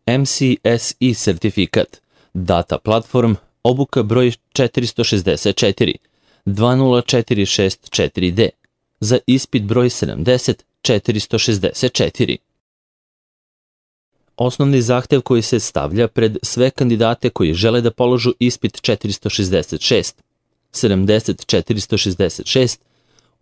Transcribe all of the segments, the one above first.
MCSE sertifikat, Data Platform, obuka broj 464, 20464D, za ispit broj 70464. Osnovni zahtev koji se stavlja pred sve kandidate koji žele da položu ispit 466, 70466,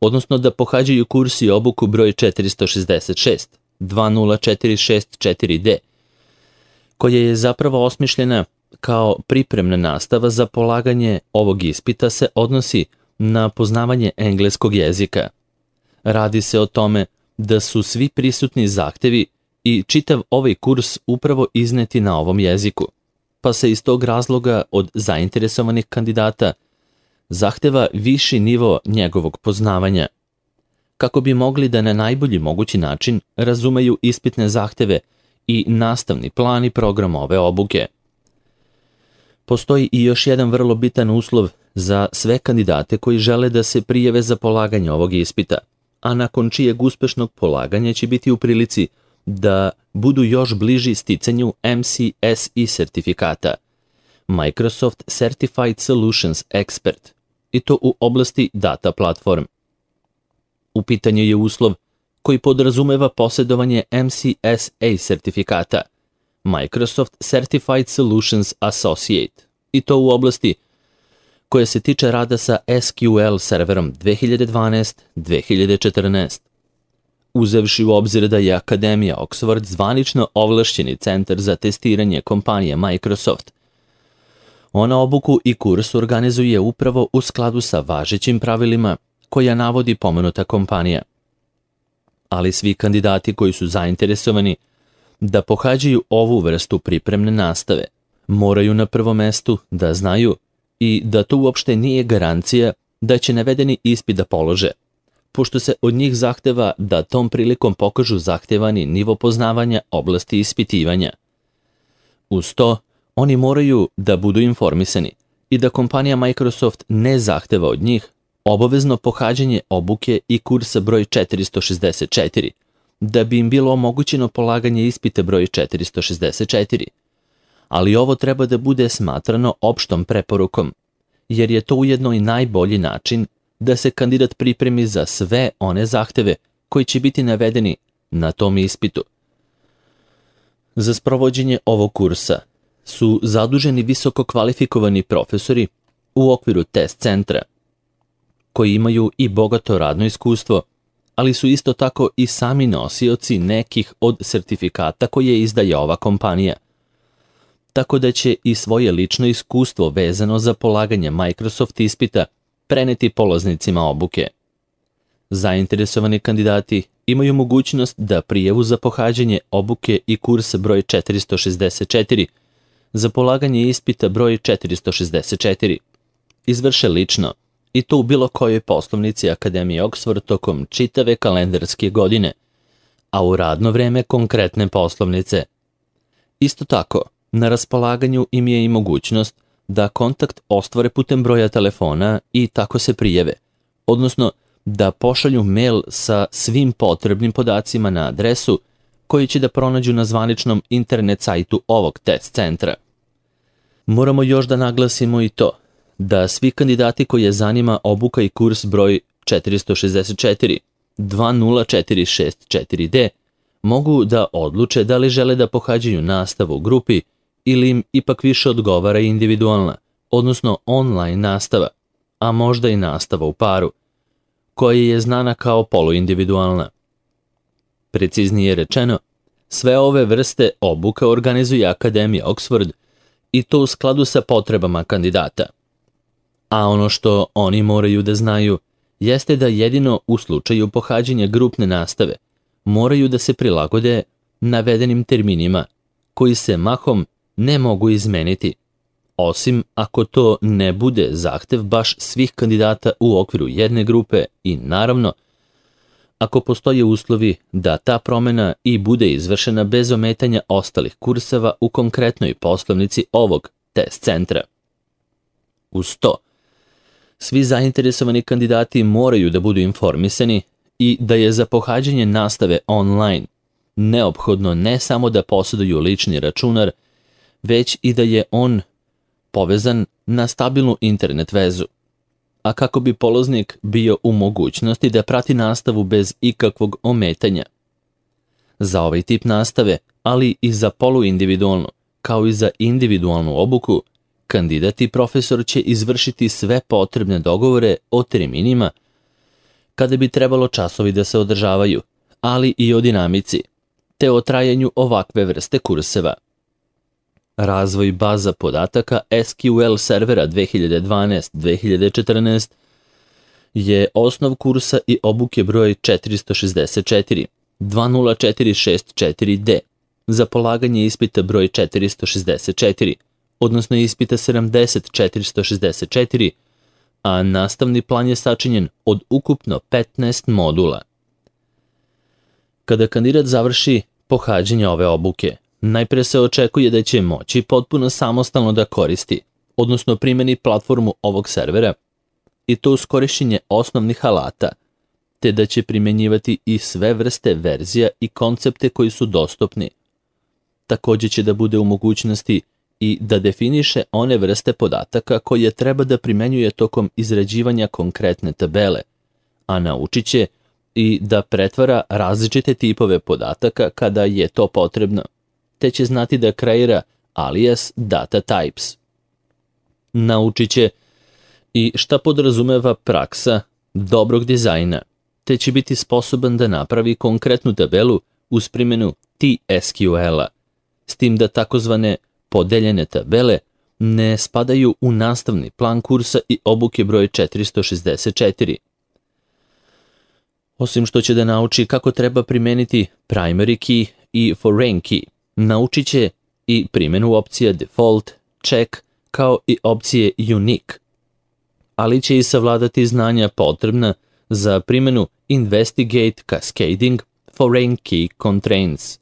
odnosno da pohađaju kurs i obuku broj 466, 20464D, koja je zapravo osmišljena kao pripremna nastava za polaganje ovog ispita, se odnosi na poznavanje engleskog jezika. Radi se o tome da su svi prisutni zahtevi i čitav ovaj kurs upravo izneti na ovom jeziku, pa se iz tog razloga od zainteresovanih kandidata zahteva viši nivo njegovog poznavanja, kako bi mogli da na najbolji mogući način razumeju ispitne zahteve i nastavni plan i program ove obuke. Postoji i još jedan vrlo bitan uslov za sve kandidate koji žele da se prijave za polaganje ovog ispita, a nakon čijeg uspešnog polaganja će biti u prilici da budu još bliži sticanju MCSE sertifikata, Microsoft Certified Solutions Expert, i to u oblasti Data Platform. U pitanju je uslov koji podrazumeva posjedovanje MCSA sertifikata, Microsoft Certified Solutions Associate, i to u oblasti koja se tiče rada sa SQL serverom 2012-2014. Uzevši u obzir da je Akademija Oxford zvanično ovlašćeni centar za testiranje kompanije Microsoft, ona obuku i kurs organizuje upravo u skladu sa važećim pravilima koja navodi pomenuta kompanija. Ali svi kandidati koji su zainteresovani da pohađaju ovu vrstu pripremne nastave moraju na prvom mestu da znaju i da to uopšte nije garancija da će navedeni ispit da polože, pošto se od njih zahteva da tom prilikom pokažu zahtevani nivo poznavanja oblasti ispitivanja. Uz to, oni moraju da budu informisani i da kompanija Microsoft ne zahteva od njih obavezno pohađanje obuke i kursa broj 464, da bi im bilo omogućeno polaganje ispita broj 464. Ali ovo treba da bude smatrano opštom preporukom, jer je to ujedno i najbolji način da se kandidat pripremi za sve one zahteve koji će biti navedeni na tom ispitu. Za sprovođenje ovog kursa su zaduženi visoko kvalifikovani profesori u okviru test centra, koji imaju i bogato radno iskustvo, ali su isto tako i sami nosioci nekih od sertifikata koje izdaje ova kompanija, tako da će i svoje lično iskustvo vezano za polaganje Microsoft ispita preneti polaznicima obuke. Zainteresovani kandidati imaju mogućnost da prijavu za pohađanje obuke i kurs broj 464 za polaganje ispita broj 464 izvrše lično, i to u bilo kojoj poslovnici Akademije Oxford tokom čitave kalendarske godine, a u radno vreme konkretne poslovnice. Isto tako, na raspolaganju im je i mogućnost da kontakt ostvare putem broja telefona i tako se prijave, odnosno da pošalju mail sa svim potrebnim podacima na adresu koji će da pronađu na zvaničnom internet sajtu ovog test centra. Moramo još da naglasimo i to da svi kandidati koje zanima obuka i kurs broj 464, 20464D, mogu da odluče da li žele da pohađaju nastavu u grupi ili im ipak više odgovara individualna, odnosno online nastava, a možda i nastava u paru, koja je znana kao poluindividualna. Preciznije rečeno, sve ove vrste obuka organizuje Akademija Oxford i to u skladu sa potrebama kandidata. A ono što oni moraju da znaju jeste da jedino u slučaju pohađanja grupne nastave moraju da se prilagode navedenim terminima koji se mahom ne mogu izmeniti, osim ako to ne bude zahtev baš svih kandidata u okviru jedne grupe i naravno ako postoje uslovi da ta promena i bude izvršena bez ometanja ostalih kurseva u konkretnoj poslovnici ovog test centra. Uz to, svi zainteresovani kandidati moraju da budu informisani i da je za pohađanje nastave online neophodno ne samo da posjeduju lični računar, već i da je on povezan na stabilnu internet vezu, a kako bi polaznik bio u mogućnosti da prati nastavu bez ikakvog ometanja. Za ovaj tip nastave, ali i za poluindividualnu, kao i za individualnu obuku, kandidat i profesor će izvršiti sve potrebne dogovore o terminima kada bi trebalo časovi da se održavaju, ali i o dinamici, te o trajanju ovakve vrste kurseva. Razvoj baza podataka SQL servera 2012-2014 je osnov kursa i obuke broj 464, 20464D, za polaganje ispita broj 464, odnosno ispita 70464, a nastavni plan je sačinjen od ukupno 15 modula. Kada kandidat završi pohađanje ove obuke, najpre se očekuje da će moći potpuno samostalno da koristi, odnosno primeni platformu ovog servera, i to uz korišćenje osnovnih alata, te da će primenjivati i sve vrste verzija i koncepte koji su dostupni. Također će da bude u mogućnosti i da definiše one vrste podataka koje treba da primenjuje tokom izrađivanja konkretne tabele, a naučit će i da pretvara različite tipove podataka kada je to potrebno, te će znati da kreira alias data types. Naučit će i šta podrazumeva praksa dobrog dizajna, te će biti sposoban da napravi konkretnu tabelu uz primjenu TSQL-a, s tim da takozvane podeljene tabele ne spadaju u nastavni plan kursa i obuke broj 464. Osim što će da nauči kako treba primeniti primary key i foreign key, naučit će i primjenu opcija default, check, kao i opcije unique, ali će i savladati znanja potrebna za primjenu investigate cascading foreign key constraints.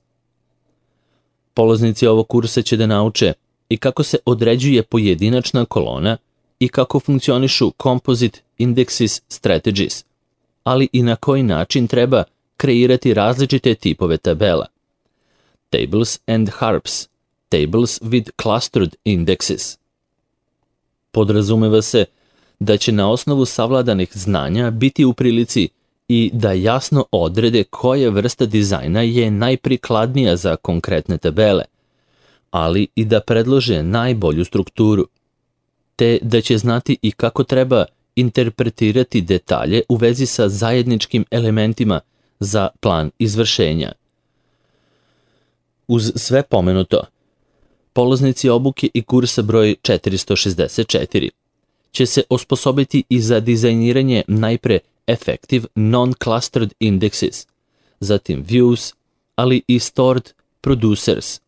Polaznici ovog kursa će da nauče i kako se određuje pojedinačna kolona i kako funkcionišu composite indexes strategies, ali i na koji način treba kreirati različite tipove tabela. Tables and harps, tables with clustered indexes. Podrazumeva se da će na osnovu savladanih znanja biti u prilici i da jasno odrede koja vrsta dizajna je najprikladnija za konkretne tabele, ali i da predlože najbolju strukturu, te da će znati i kako treba interpretirati detalje u vezi sa zajedničkim elementima za plan izvršenja. Uz sve pomenuto, polaznici obuke i kursa broj 464 će se osposobiti i za dizajniranje najpre effective non-clustered indexes, zatim views, ali i stored producers,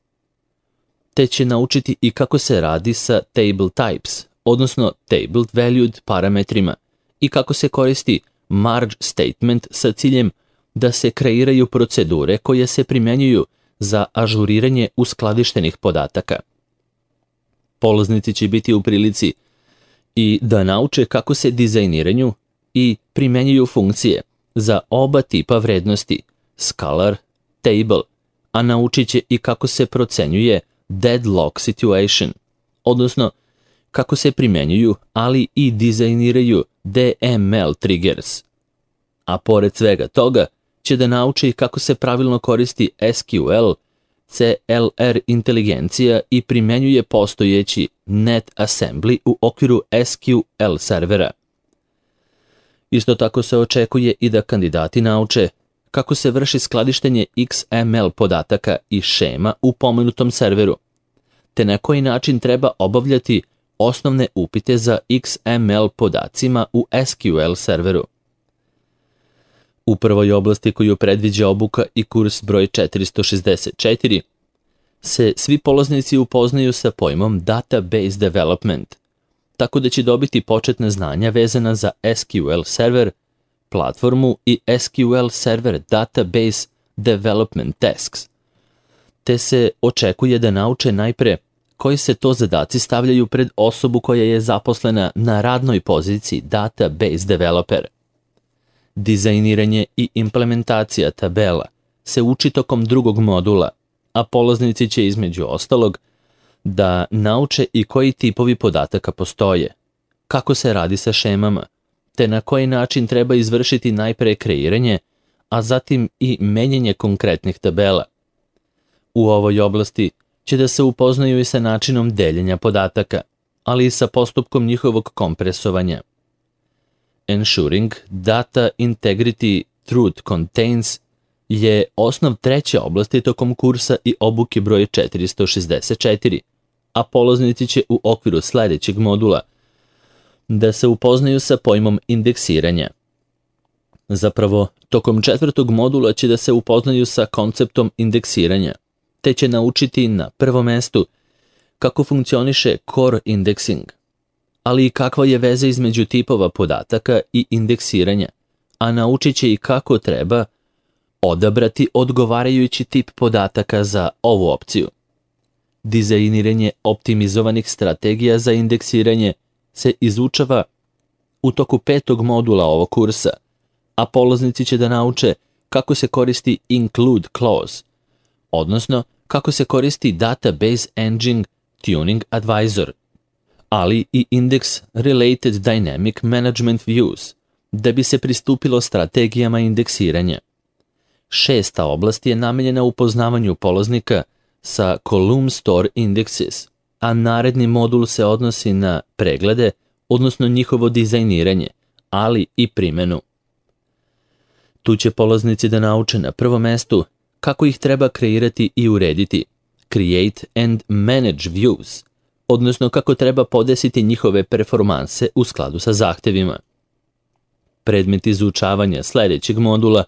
te će naučiti i kako se radi sa table types, odnosno table valued parametrima, i kako se koristi merge statement sa ciljem da se kreiraju procedure koje se primjenjuju za ažuriranje uskladištenih podataka. Polaznici će biti u prilici i da nauče kako se dizajniraju i primjenjuju funkcije za oba tipa vrednosti, scalar, table, a naučit će i kako se procenjuje deadlock situation, odnosno kako se primjenjuju, ali i dizajniraju DML triggers. A pored svega toga će da nauči i kako se pravilno koristi SQL, CLR inteligencija i primjenjuje postojeći net assembly u okviru SQL servera. Isto tako se očekuje i da kandidati nauče kako se vrši skladištenje XML podataka i šema u pomenutom serveru, te na koji način treba obavljati osnovne upite za XML podacima u SQL serveru. U prvoj oblasti koju predviđa obuka i kurs broj 464 se svi polaznici upoznaju sa pojmom database development, tako da će dobiti početne znanja vezana za SQL server, platformu i SQL server database development tasks, te se očekuje da nauče najpre koji se to zadaci stavljaju pred osobu koja je zaposlena na radnoj poziciji database developer. Dizajniranje i implementacija tabela, se uči tokom drugog modula, a polaznici će između ostalog da nauče i koji tipovi podataka postoje, kako se radi sa šemama, te na koji način treba izvršiti najpre kreiranje, a zatim i menjanje konkretnih tabela. U ovoj oblasti će da se upoznaju i sa načinom deljenja podataka, ali i sa postupkom njihovog kompresovanja. Ensuring Data Integrity Truth Contains je osnov treće oblasti tokom kursa i obuke broj 464, a polaznici će u okviru sledećeg modula da se upoznaju sa pojmom indeksiranja. Zapravo, tokom četvrtog modula će da se upoznaju sa konceptom indeksiranja, te će naučiti na prvom mestu kako funkcioniše core indexing, ali i kakva je veza između tipova podataka i indeksiranja, a naučit će i kako treba odabrati odgovarajući tip podataka za ovu opciju. Dizajniranje optimizovanih strategija za indeksiranje se izučava u toku petog modula ovog kursa, a polaznici će da nauče kako se koristi include clause, odnosno kako se koristi Database Engine Tuning Advisor, ali i Index Related Dynamic Management Views, da bi se pristupilo strategijama indeksiranja. Šesta oblast je namenjena upoznavanju polaznika sa Column Store Indexes, a naredni modul se odnosi na preglede, odnosno njihovo dizajniranje, ali i primenu. Tu će polaznici da nauče na prvom mestu kako ih treba kreirati i urediti, create and manage views, odnosno kako treba podesiti njihove performanse u skladu sa zahtevima. Predmet izučavanja sledećeg modula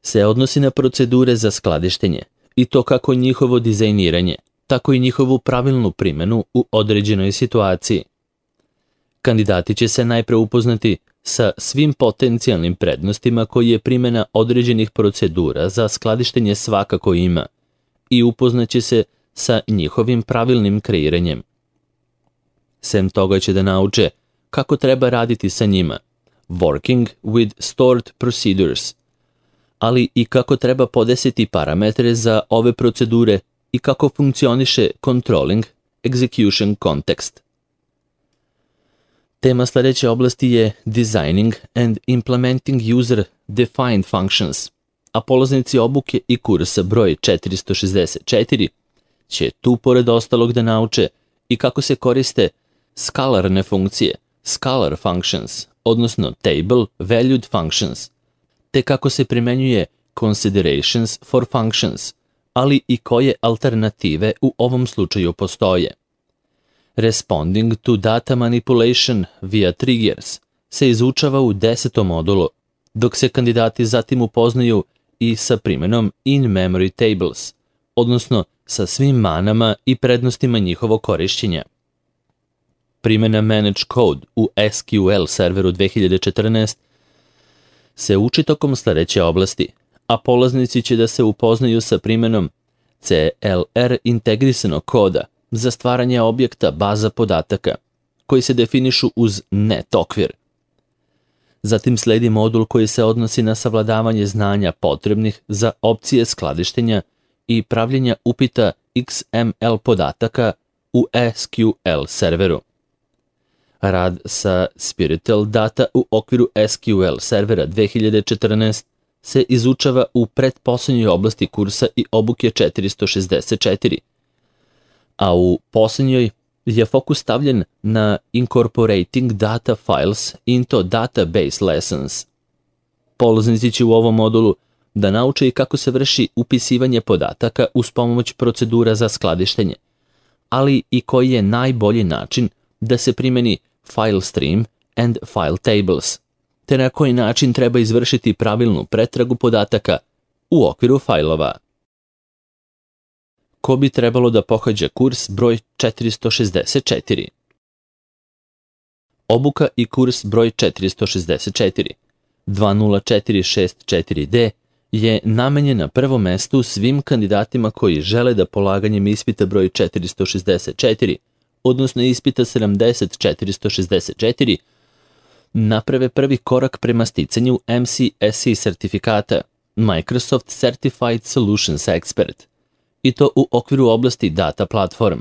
se odnosi na procedure za skladištenje i to kako njihovo dizajniranje, tako i njihovu pravilnu primenu u određenoj situaciji. Kandidati će se najpre upoznati sa svim potencijalnim prednostima koje primjena određenih procedura za skladištenje svakako ima i upoznaće se sa njihovim pravilnim kreiranjem. Sem toga će da nauče kako treba raditi sa njima, working with stored procedures, ali i kako treba podesiti parametre za ove procedure i kako funkcioniše controlling execution context. Tema sledeće oblasti je Designing and Implementing User-Defined Functions, a polaznici obuke i kursa broj 464 će tu pored ostalog da nauče i kako se koriste skalarne funkcije, scalar functions, odnosno table valued functions, te kako se primenjuje considerations for functions, ali i koje alternative u ovom slučaju postoje. Responding to data manipulation via triggers se izučava u 10. modulu, dok se kandidati zatim upoznaju i sa primjenom in-memory tables, odnosno sa svim manama i prednostima njihovog korišćenja. Primjena Manage Code u SQL serveru 2014 se uči tokom sledeće oblasti, a polaznici će da se upoznaju sa primjenom CLR integrisanog koda za stvaranje objekta baza podataka, koji se definišu uz net okvir. Zatim sledi modul koji se odnosi na savladavanje znanja potrebnih za opcije skladištenja i pravljenja upita XML podataka u SQL serveru. Rad sa Spiritual Data u okviru SQL servera 2014 se izučava u pretposlednjoj oblasti kursa i obuke 464, a u poslednjoj je fokus stavljen na Incorporating Data Files into Database Lessons. Polaznici će u ovom modulu da nauče i kako se vrši upisivanje podataka uz pomoć procedura za skladištenje, ali i koji je najbolji način da se primeni file stream and file tables, te na koji način treba izvršiti pravilnu pretragu podataka u okviru fajlova. Ko bi trebalo da pohađa kurs broj 464? Obuka i kurs broj 464 20464D je namenjen na prvom mestu svim kandidatima koji žele da polaganjem ispita broj 464, odnosno ispita 70464, naprave prvi korak prema sticanju MCSE sertifikata, Microsoft Certified Solutions Expert, i to u okviru oblasti data platform.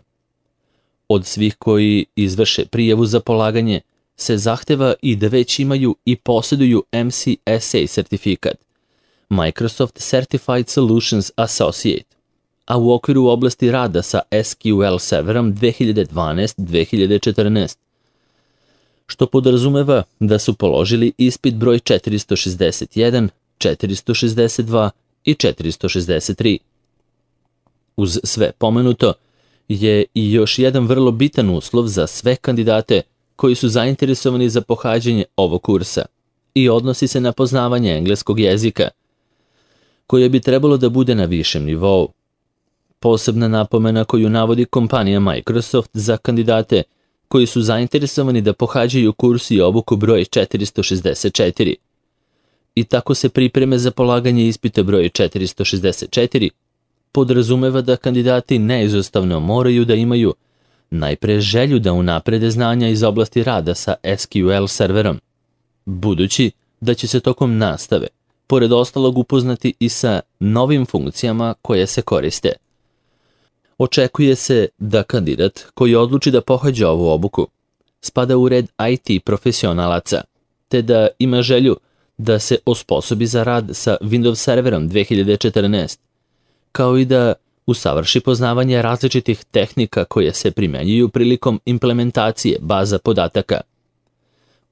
Od svih koji izvrše prijavu za polaganje se zahteva i da već imaju i posjeduju MCSA sertifikat, Microsoft Certified Solutions Associate, a u okviru oblasti rada sa SQL serverom 2012-2014, što podrazumeva da su položili ispit broj 461, 462 i 463. Uz sve pomenuto je i još jedan vrlo bitan uslov za sve kandidate koji su zainteresovani za pohađanje ovog kursa i odnosi se na poznavanje engleskog jezika, koje bi trebalo da bude na višem nivou. Posebna napomena koju navodi kompanija Microsoft za kandidate koji su zainteresovani da pohađaju kurs i obuku broj 464. I tako se pripreme za polaganje ispita broj 464 podrazumeva da kandidati neizostavno moraju da imaju najpre želju da unaprede znanja iz oblasti rada sa SQL serverom, budući da će se tokom nastave, pored ostalog, upoznati i sa novim funkcijama koje se koriste. Očekuje se da kandidat koji odluči da pohađa ovu obuku spada u red IT profesionalaca, te da ima želju da se osposobi za rad sa Windows serverom 2014, kao i da usavrši poznavanje različitih tehnika koje se primenjuju prilikom implementacije baza podataka.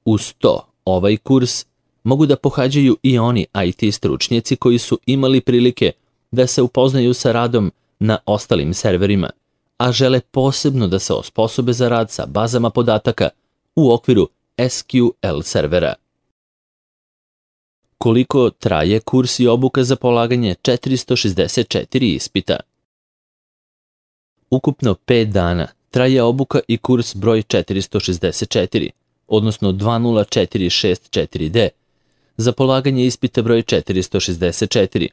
Uz to, ovaj kurs mogu da pohađaju i oni IT stručnjaci koji su imali prilike da se upoznaju sa radom na ostalim serverima, a žele posebno da se osposobe za rad sa bazama podataka u okviru SQL servera. Koliko traje kurs i obuka za polaganje 464 ispita? Ukupno 5 dana traje obuka i kurs broj 464, odnosno 20464D, za polaganje ispita broj 464,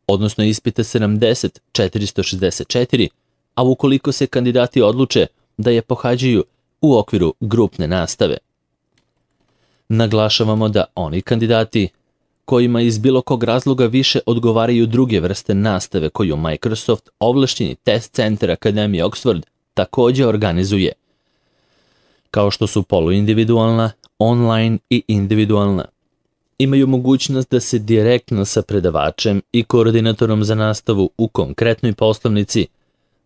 odnosno ispita 70464, a ukoliko se kandidati odluče da je pohađaju u okviru grupne nastave. Naglašavamo da oni kandidati kojima iz bilo kog razloga više odgovaraju druge vrste nastave koju Microsoft, ovlašćeni test centar Akademije Oxford, također organizuje, kao što su poluindividualna, online i individualna, imaju mogućnost da se direktno sa predavačem i koordinatorom za nastavu u konkretnoj poslovnici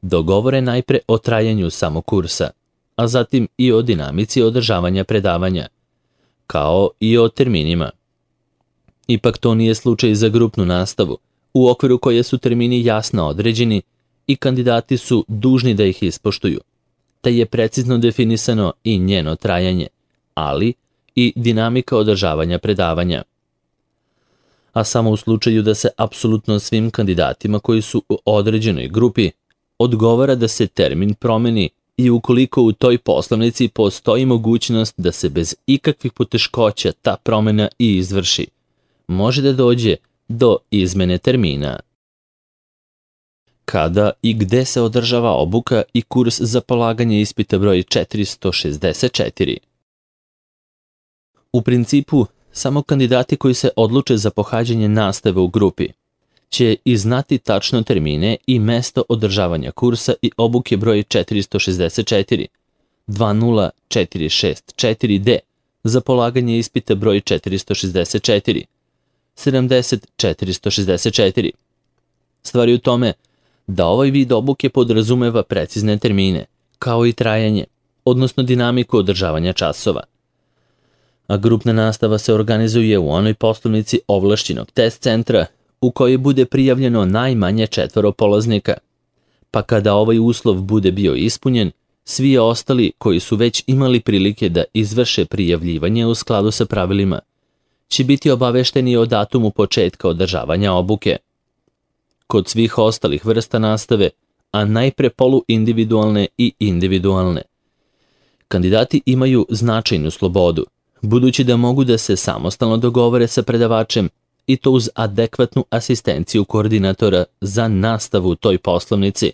dogovore najpre o trajanju samog kursa, a zatim i o dinamici održavanja predavanja, kao i o terminima. Ipak to nije slučaj za grupnu nastavu, u okviru koje su termini jasno određeni i kandidati su dužni da ih ispoštuju, te je precizno definisano i njeno trajanje, ali i dinamika održavanja predavanja. A samo u slučaju da se apsolutno svim kandidatima koji su u određenoj grupi odgovara da se termin promeni i ukoliko u toj poslovnici postoji mogućnost da se bez ikakvih poteškoća ta promena i izvrši, može da dođe do izmene termina. Kada i gde se održava obuka i kurs za polaganje ispita broj 464? U principu, samo kandidati koji se odluče za pohađanje nastave u grupi će i znati tačno termine i mesto održavanja kursa i obuke broj 464, 20464D, za polaganje ispita broj 464, 70464. Stvar je u tome da ovaj vid obuke podrazumeva precizne termine, kao i trajanje, odnosno dinamiku održavanja časova. A grupna nastava se organizuje u onoj poslovnici ovlašćenog test centra u kojoj bude prijavljeno najmanje 4 polaznika, pa kada ovaj uslov bude bio ispunjen, svi ostali koji su već imali prilike da izvrše prijavljivanje u skladu sa pravilima će biti obavešteni o datumu početka održavanja obuke. Kod svih ostalih vrsta nastave, a najpre poluindividualne i individualne, kandidati imaju značajnu slobodu, budući da mogu da se samostalno dogovore sa predavačem i to uz adekvatnu asistenciju koordinatora za nastavu u toj poslovnici.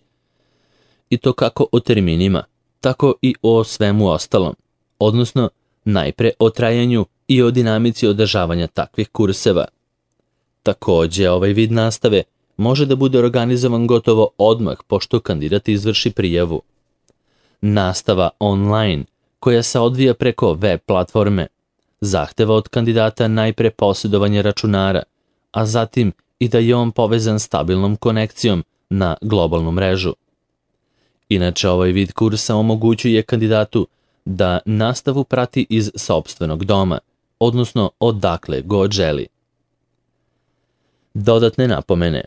I to kako o terminima, tako i o svemu ostalom, odnosno najpre o trajanju i o dinamici održavanja takvih kurseva. Takođe, ovaj vid nastave može da bude organizovan gotovo odmah pošto kandidat izvrši prijavu. Nastava online, koja se odvija preko web platforme, zahteva od kandidata najpre posjedovanje računara, a zatim i da je on povezan stabilnom konekcijom na globalnu mrežu. Inače, ovaj vid kursa omogućuje kandidatu da nastavu prati iz sopstvenog doma, odnosno odakle god želi. Dodatne napomene.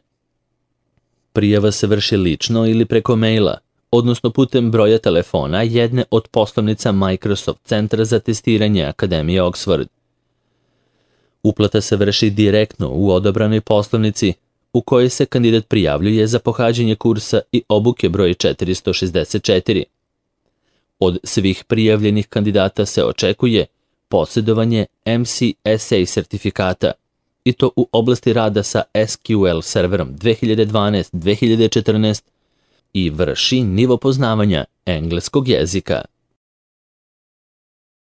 Prijava se vrši lično ili preko maila, odnosno putem broja telefona jedne od poslovnica Microsoft Centra za testiranje Akademije Oxford. Uplata se vrši direktno u odabranoj poslovnici u kojoj se kandidat prijavljuje za pohađanje kursa i obuke broj 464. Od svih prijavljenih kandidata se očekuje posjedovanje MCSA sertifikata, i to u oblasti rada sa SQL serverom 2012-2014 i vrši nivo poznavanja engleskog jezika.